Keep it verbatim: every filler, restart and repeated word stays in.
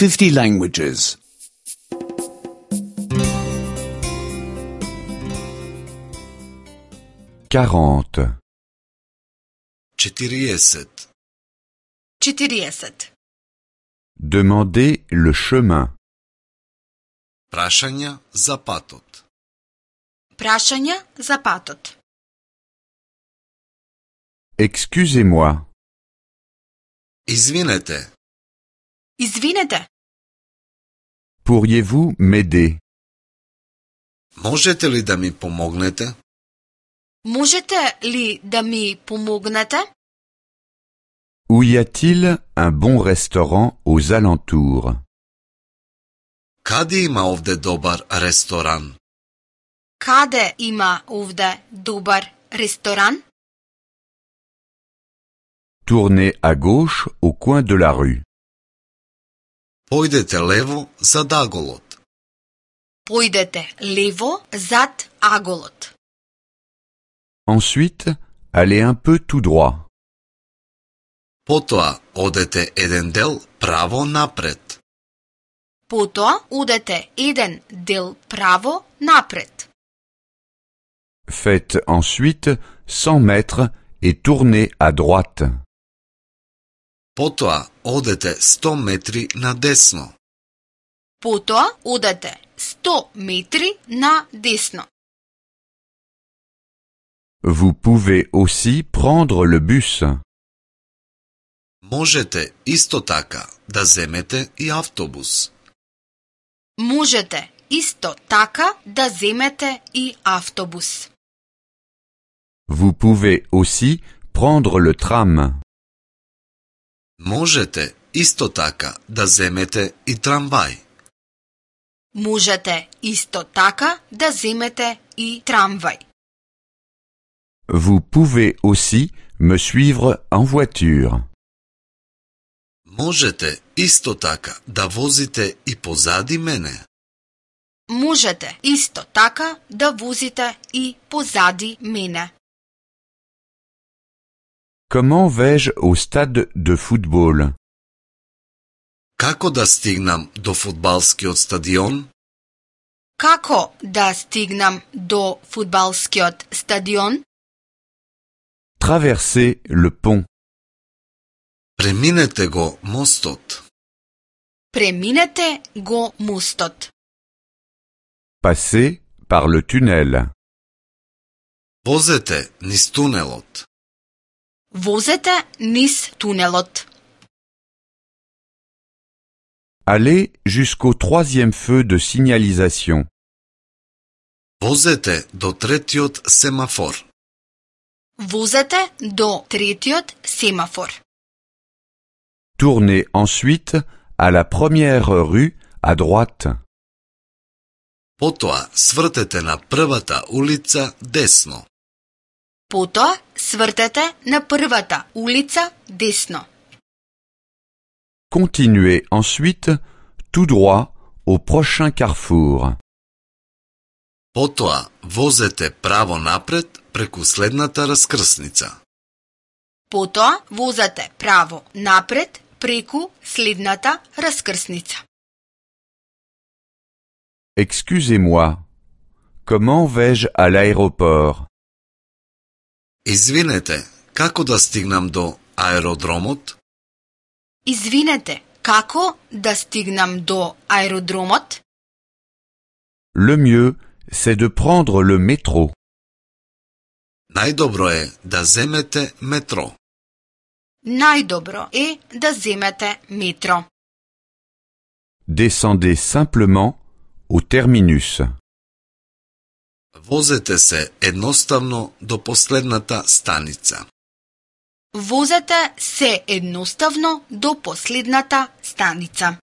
fifty languages. quarante. четириесет. четириесет. Demandez le chemin. Прашања за патот. Прашања за патот. Excusez-moi. Извинете. Извинете, Pourriez-vous m'aider? Можете ли да ми помогнете? можете ли да ми помогнете? Où y a-t-il un bon restaurant aux alentours? Каде има овде добар ресторан? Каде има овде добар ресторан? Tournez à gauche au coin de la rue. Појдете лево зад аголот. Појдете лево зад аголот. Ensuite, allez un peu tout droit. Потоа одете еден дел право напред. Потоа одете еден дел право напред. Faites ensuite cent mètres et tournez à droite. Потоа одете сто метри надесно. Потоа одете сто метри на десно. Vous pouvez aussi prendre le bus. Можете исто така да земете и автобус. Можете исто така да земете и автобус. Vous pouvez aussi prendre le tram. Можете исто така да земете и трамвај. Можете исто така да земете и трамвај. Vous pouvez aussi me suivre en voiture. Можете исто така да возите и позади мене. Можете исто така да возите и позади мене. Comment vais-je au stade de football? Како да стигнам до фудбалскиот стадион? Како да стигнам до фудбалскиот стадион? Traversez le pont. Преминете го мостот. Преминете го мостот. Passez par le tunnel. Возете низ тунелот. Возете низ тунелот. Allez jusqu'au troisième feu de signalisation. Возете до третиот семафор. Возете до третиот семафор. Tournez ensuite à la première rue à droite. Потоа свртете на првата улица десно. Потоа свртете на првата улица десно. Continuez ensuite tout droit au prochain carrefour. Потоа возете право напред преку следната раскрсница. Потоа возете право напред преку следната раскрсница. Excusez-moi. Comment vais-je à l'aéroport? Извинете, како да стигнам до аеродромот? Извинете, како да стигнам до аеродромот? Le mieux, c'est de prendre le métro. Најдобро е да земете метро. Најдобро е да земете метро. Descendez simplement au terminus. Возете се едноставно до последната станица. Возете се едноставно до последната станица.